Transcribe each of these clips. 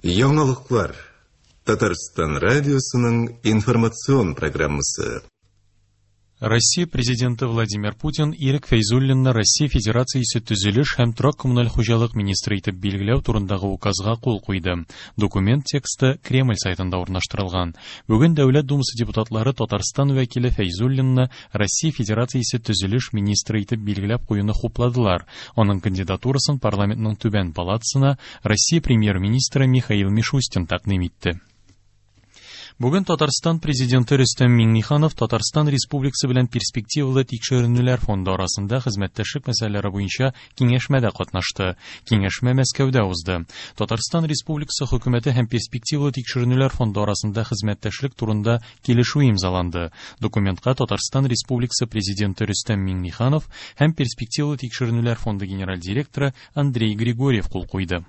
Яңалыклар. Татарстан радиосының информацион программасы. Россия Президенты Владимир Путин Ирек Фәйзуллинны Россия Федерациясе төзелеш һәм торак-коммуналь хуҗалык министры итеп билгеләү турындагы указга кул куйды. Документ тексты Кремль сайтында урнаштырылган. Бүген Дәүләт Думасы депутатлары Татарстан вәкиле Фәйзуллинны Россия Федерациясе төзелеш министры итеп билгеләп куюны хупладылар. Аның кандидатурасын парламентның түбән палатасына Россия премьер-министры Михаил Мишустин тәкъдим итте. Бүген Татарстан Президенты Рөстәм Миңнеханов Татарстан Республикасы белән перспективалы тикшеренүләр фонды арасында хезмәттәшлек мәсьәләләре буенча киңәшмәдә катнашты. Киңәшмә Мәскәүдә узды. Татарстан Республикасы хөкүмәте һәм перспективалы тикшеренүләр фонды арасында хезмәттәшлек турында килешү имзаланды. Документка Татарстан Республикасы Президенты Рөстәм Миңнеханов һәм перспективалы тикшеренүләр фонды генераль директоры Андрей Григорьев кул куйды.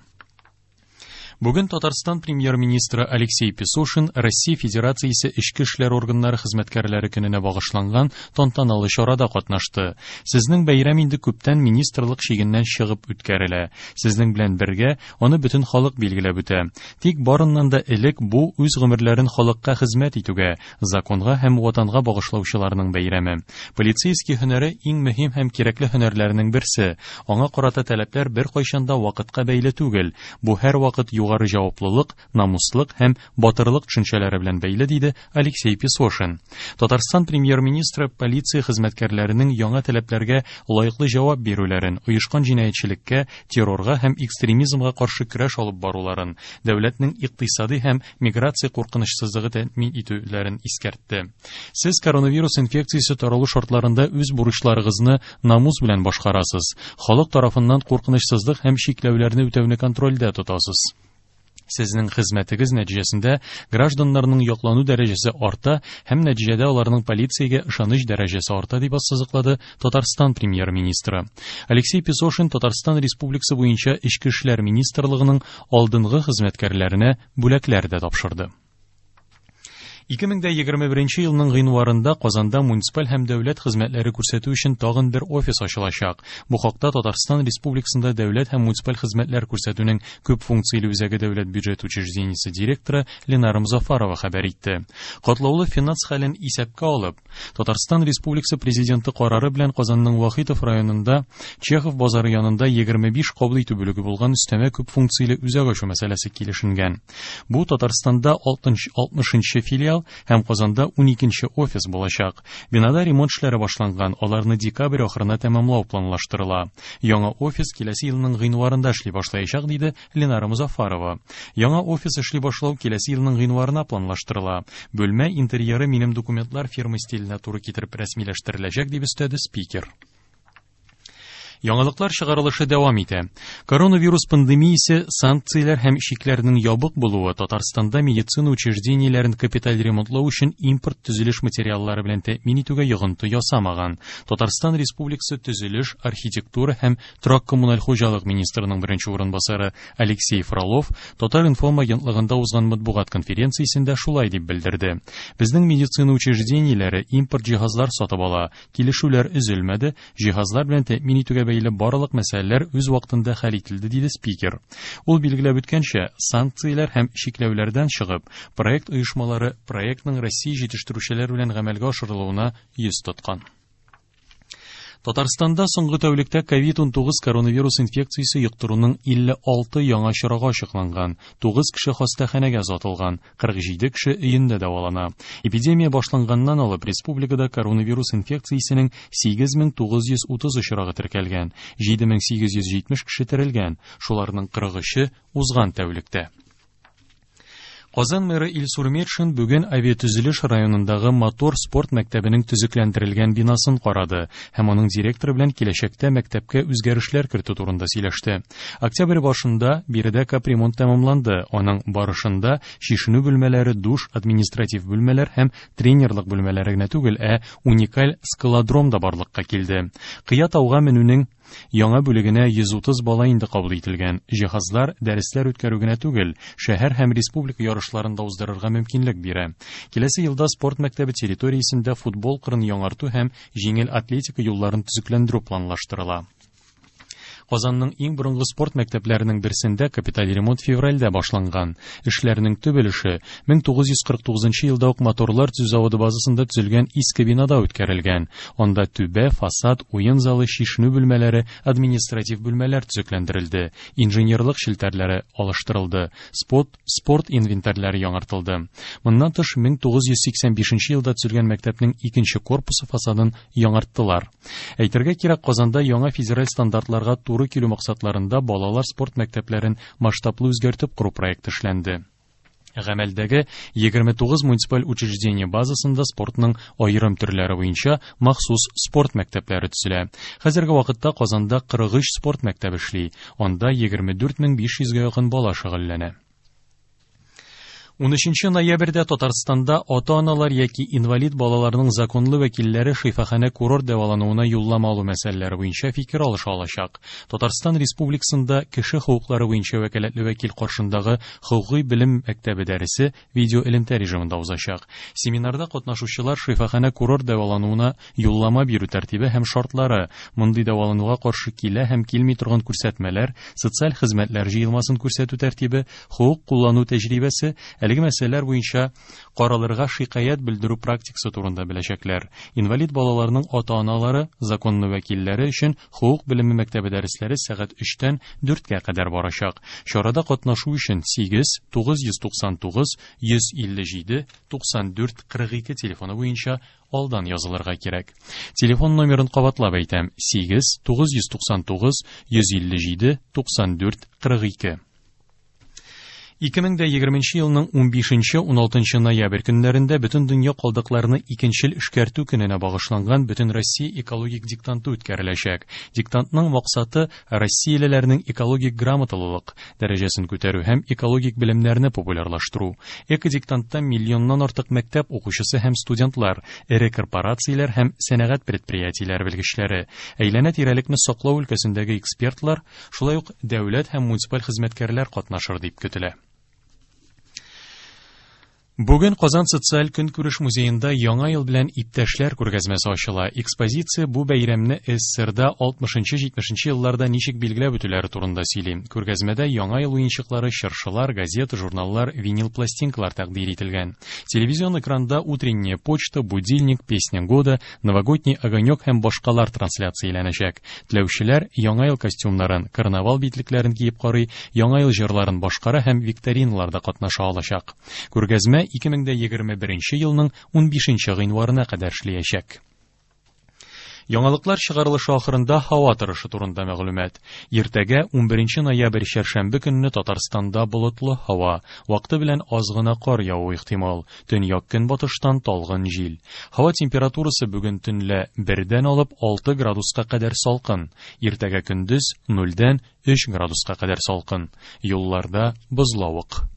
Бүген Татарстан премьер-министры Алексей Песошин Россия Федерациясе эчке эшләр органнары хезмәткәрләре көненә багышланган тантаналы чарада катнашты. Сезнең бәйрәм инде күптән министрлык чигеннән чыгып үткәрелә. Сезнең белән бергә аны бөтен халык билгеләп үтә. Тик барыннан да элек бу үз гомерләрен халыкка хезмәт итүгә, законга һәм ватанга багышлаучыларның бәйрәме. Полицейский һөнәре иң мөһим һәм кирәкле һөнәрләрнең берсе. Аңа карата таләпләр беркайчан да вакытка бәйле түгел. Бу һәрвакыт югары җаваплылык, намуслык һәм батырлык төшенчәләре белән бәйле, диде Алексей Песошин. Татарстан премьер-министры полиция хезмәткәрләренең яңа таләпләргә лаеклы җавап бирүләрен, оешкан җинаятьчелеккә, террорга һәм экстремизмга каршы көрәш алып баруларын, дәүләтнең икътисади һәм миграция куркынычсызлыгы тәэмин итүләрен искәртте. Сез коронавирус инфекциясе таралу шартларында үз бурычларыгызны намус белән башкарасыз, халык тарафыннан куркынычсызлык һәм чикләүләрне үтәүне контрольдә тотасыз. Сезнең хезмәтегез нәтиҗәсендә гражданнарның яклану дәрәҗәсе арта һәм нәтиҗәдә аларның полициягә ышаныч дәрәҗәсе арта, дип ассызыклады Татарстан премьер-министры. Алексей Песошин Татарстан Республикасы буенча Эчке эшләр министрлыгының алдынгы хезмәткәрләренә бүләкләр дә тапшырды. 2021 елның гыйнварында Казанда муниципаль һәм дәүләт хезмәтләре күрсәтү өчен тагын бер офис ачылачак. Бу хакта Татарстан Республикасында дәүләт һәм муниципаль хезмәтләр күрсәтүнең күп функцияле үзәге дәүләт бюджет учреждениесе директоры Ленара Музафарова хәбәр итте. Катлаулы финанс хәлен исәпкә алып, Татарстан Республикасы Президенты карары белән Казанның Вахитов районында Чехов базары янында 25 кабул итү бүлеге булган өстәмә күп функцияле үзәк ачу мәсьәләсе килешенгән. Бу Татарстанда 60 филиал һәм Казанда 12 офис булачак. Бинада ремонт эшләре башланган, аларны декабрь ахырына тәмамлау планлаштырыла. Яңа офис киләсе елның гыйнварында эшли башлаячак, диде Ленара Музафарова. Яңа офис эшли башлау киләсе елның гыйнварына планлаштырыла. Бүлмә интерьеры минем документлар фирма стиленә туры китереп рәсмиләштереләчәк, дип өстәде спикер. Яңалыклар чыгарылышы дәвам итә. Коронавирус пандемиясе, санкцияләр һәм чикләрнең ябык булуы Татарстанда медицина учреждениеләрен капиталь ремонтлау өчен импорт төзелеш материаллары белән тәэмин итүгә йогынты ясамаган. Татарстан Республикасы төзелеш, архитектура һәм торак-коммуналь хуҗалык министрының беренче урынбасары Алексей Фролов Татар-информ агентлыгында узган матбугат конференциясендә шулай дип белдерде. Безнең медицина учреждениеләре импорт җиһазлар сатып ала, килешүләр өзелмәде, җиһазлар белән тәэмин итүгә бәйле барлык мәсьәләләр үз вакытында хәл ителде, диде спикер. Ул билгеләп үткәнчә, санкцияләр һәм чикләүләрдән чыгып, проект оешмалары проектның Россия җитештерүчеләр белән гамәлгә ашырылуына йөз тоткан. Татарстанда соңгы тәүлектә COVID-19 коронавирус инфекциясе йоктыруның 56 яңа очрагы ачыкланган, 9 кеше хастаханәгә озатылган, 47 кеше өендә дәвалана. Эпидемия башланганнан алып республикада коронавирус инфекциясенең 8930 очрагы теркәлгән, 7870 кеше терелгән, шуларның 43-е узган тәүлектә. Казан мэры Илсур Метшин бүген Авиатөзелеш районындагы Мотор спорт мәктәбенең төзекләндерелгән бинасын карады һәм аның директоры белән киләчәктә мәктәпкә үзгәрешләр кертү турында сөйләште. Октябрь башында биредә капремонт тәмамланды. Аның барышында чишенү бүлмәләре, душ, административ бүлмәләр һәм тренерлык бүлмәләре генә түгел, ә уникаль скалодром да барлыкка килде. Кыя тауга менүнең Яңа бүлегенә 130 бала инде кабул ителгән. Җиһазлар дәресләр үткәрү генә түгел, шәһәр һәм республика ярышларын да уздырырга мөмкинлек бирә. Киләсе елда спорт мәктәбе территориясендә футбол кырын яңарту һәм җиңел атлетика юлларын төзекләндерү планлаштырыла. Казанның иң борынгы спорт мәктәпләренең берсендә капиталь ремонт февральдә башланган. Эшләрнең төп өлеше 1949 елда ук моторлар төзү заводы базасында төзелгән иске бинада үткәрелгән. Анда түбә, фасад, уен залы, чишенү бүлмәләре, административ бүлмәләр төзекләндерелде, инженерлык челтәрләре алыштырылды, спорт, спорт инвентарьләре яңартылды. Моннан тыш 1985 елда төзелгән мәктәпнең икенче корпусы фасадын яңарттылар. Әйтергә кирәк, Казанда яңа федераль стандартларга туры килү максатларында балалар спорт мәктәпләрен масштаблы үзгәртеп кору проекты эшләнде. Гамәлдәге 29 муниципаль учреждение базасында спортның аерым төрләре буенча махсус спорт мәктәпләре төзелә. Хәзерге вакытта Казанда 43 спорт мәктәбе эшли. Анда 24500гә якын бала шөгыльләнә. 13 ноябрьдә Татарстанда ата-аналар яки инвалид балаларның законлы вәкилләре шифаханә курорт дәвалануына юллама алу мәсьәләләре буенча фикер алыша алачак. Татарстан Республикасында кеше хокуклары буенча вәкаләтле вәкил каршындагы хокукый белем мәктәбе дәресе видео элемтә режимында узачак. Семинарда катнашучылар шифаханә курорт дәвалануына юллама бирү тәртибе һәм шартлары, мондый дәвалануга каршы килә һәм килми торган күрсәтмәләр, социаль хезмәтләр җыелмасын күрсәтү тәртибе, хокук куллану тәҗрибәсе, әлеге мәсьәләләр буенча каралырга шикаять белдерү практикасы турында беләчәкләр. Инвалид балаларның ата-аналары, законлы вәкилләре өчен хокук белеме мәктәбе дәресләре сәгать 3-тән 4-кә кадәр барачак. Чарада катнашу өчен 8 999 157 94 42 телефоны буенча алдан язылырга кирәк. Телефон номерын кабатлап әйтәм: 8 999 157 94 42. 2020 елның 15-16 ноябрь көннәрендә бөтен дөнья калдыкларны икенчел эшкәртү көненә багышланган бөтен Россия экологик диктанты үткәреләчәк. Диктантның максаты россиялеләрнең экологик грамоталылык дәрәҗәсен күтәрү һәм экологик белемнәрне популярлаштыру. Экодиктантта миллионнан артык мәктәп укучысы һәм студентлар, эре корпорацияләр һәм сәнәгать предприятиеләре белгечләре, әйләнә-тирәлекне саклау өлкәсендәге экспертлар, шулай ук дәүләт һәм муниципаль хезмәткәрләр катнашыр дип көтелә. Бүген Казан социаль көнкүреш музеенда Яңа ел белән иптәшләр күргәзмәсе ачыла. Экспозиция бу бәйрәмне СССРда 60-70 елларда ничек билгеләп үтүләре турында сөйли. Күргәзмәдә Яңа ел уенчыклары, чыршылар, газета, журналлар, винил пластинкалар тәкъдир ителгән. Телевизион экранда утренняя почта, будильник, песня года, новогодний огонек һәм башкалар трансляцияләнәчәк. Теләүчеләр Яңа ел костюмнарын, карнавал битлекләрен киеп карый, Яңа ел җырларын башкара һәм викториналарда катнаша алачак. Күргәзмә 2021 елның 15 гыйнварына кадәр эшләячәк. Яңалыклар чыгарылышы ахырында һава торышы турында мәгълүмат. Иртәгә 11 ноябрь чәршәмбе көнне Татарстанда болытлы һава, вакыты белән аз гына кар явуы ихтимал. Төньяк көнбатыштан талгын җил. Һава температурасы бүген төнлә 1-дән алып 6 градуска кадәр салкын. Иртәгә көндез 0-дән 3 градуска кадәр салкын. Юлларда бозлавык.